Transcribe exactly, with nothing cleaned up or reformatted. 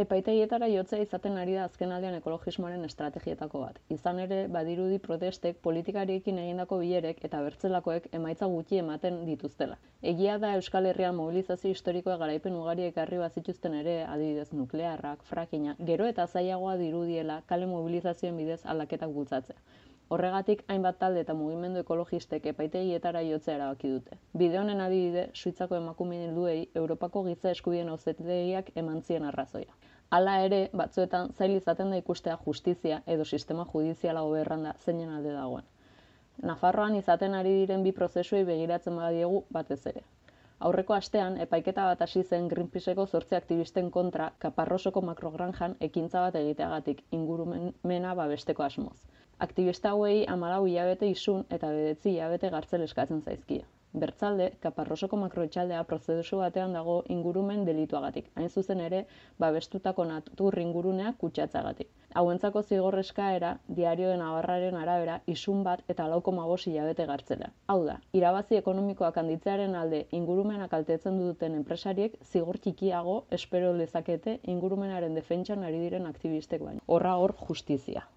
Epaitegietara jotzea izaten ari da azkenaldian ekologismoaren estrategietako bat. Izan ere, badirudi protestek, politikariekin egindako bilerek eta bertzelakoek emaitza gutxi ematen dituztela. Egia da Euskal Herrian mobilizazio historikoa garaipen ugari ekarri bazituzten ere, adibidez nuklearrak, frackinga, gero eta zailagoa dirudiela kale mobilizazioen bidez aldaketak bultzatzea. Horregatik, hainbat talde eta mugimendu ekologistek epaitegietara jotzea erabaki dute. Bide honen adibide, Suitzako emakume helduei Europako giza eskubideen auzitegiak eman zien arrazoia. Hala ere, batzuetan zail izaten da ikustea justizia edo sistema judiziala hoberranda zeinen alde dagoen. Nafarroan izaten ari diren bi prozesuei begiratzen badiegu batez ere. Aurreko astean, epaiketa bat hasi zen Greenpeaceko zortzi aktivisten kontra Kaparrosoko makrogranjan ekintza bat egiteagatik ingurumena babesteko asmoz. Aktivista hauei hamalau hilabete isun eta bederatzi hilabete gartzel eskatzen zaizkie. Bertzalde, Kaparrosoko makroetxaldea prozesu batean dago ingurumen delituagatik, hain zuzen ere, babestutako natur ingurunea kutsatzeagatik. Hauentzako zigor eskaera, Diario de Navarraren arabera, isun bat eta lau koma bost hilabete gartzela. Hau da, irabazi ekonomikoak handitzearen alde ingurumena kaltetzen duten enpresariek zigor txikiago espero lezakete ingurumenaren defentsan ari diren aktivistek baino. Horra hor justizia.